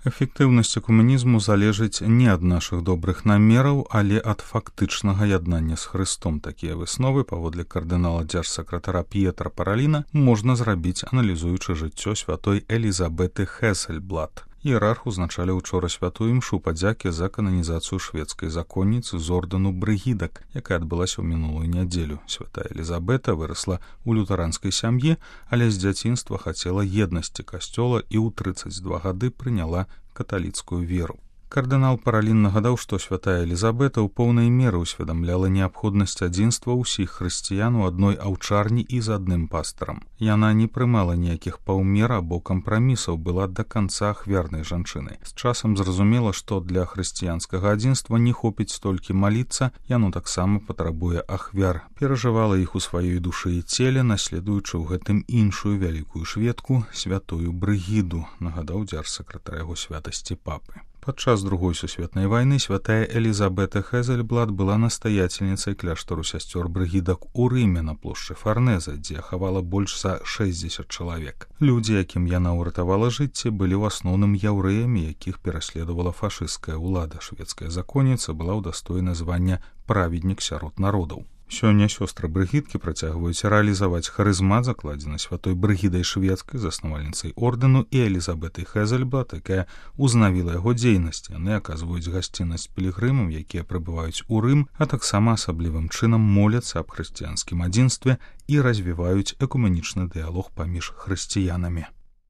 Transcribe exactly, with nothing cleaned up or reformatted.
Эфектыўнасць экуменізму залежыць не ад нашых добрых намераў, але ад фактычнага яднання з Хрыстом. Такія высновы, паводле кардынала дзяржсакратара П'етра Параліна, можна зрабіць, аналізуючы жыццё святой Элізабеты Хезельблат. Іерарх узначалі учора святую імшу падзякі за кананізацыю шведскай законніцы з ордэну Брыгідак, якая адбылася ў мінулую нядзелю. Святая Элізабета вырасла ў лютэранскай сям'і, але з дзяцінства хацела еднасці касцёла і ў трыццаць два гады прыняла каталіцкую веру. Кардынал Паралін нагадаў, што святая Элізабета ў поўнай меры ўсведамляла неабходнасць адзінства ўсіх хрысціян у адной аўчарні і з адным пастарам. Яна не прымала ніякіх паўмер або кампрамісаў, была да канца ахвярнай жанчынай. З часам зразумела, што для хрысціянскага адзінства не хопіць столькі маліцца, яно таксама патрабуе ахвяр. Перажывала іх у сваёй душы і целе, наследуючы ў гэтым іншую вялікую шведку, святую Брыгіду, нагадаў дзяржсакратар яго святасці папы. Падчас другой сусветнай вайны святая Элізабета Хезельблат была настаяцельніцай кляштару сясцёр Брыгідак у Рыме на плошчы Фарнеза, дзе хавала больш за шэсцьдзесят чалавек. Людзі, якім яна ўратавала жыцці, былі ў асноўным яўрэямі, якіх пераследавала фашысцкая ўлада. Шведская законніца была ўдастоена звання праведнік сярод народаў. Сёння сёстры Брыгідкі працягваюць рэалізаваць харызмат, закладзены святой Брыгідай шведскай, заснавальніцай ордэну, і Элізабетай Хезельблат, якая узнавіла яго дзейнасць. Яны аказваюць гасціннасць пілігрымам, якія прыбываюць у Рым, а таксама асаблівым чынам моляцца аб хрысціянскім адзінстве і развіваюць экуменічны дыялог паміж хрысціянамі.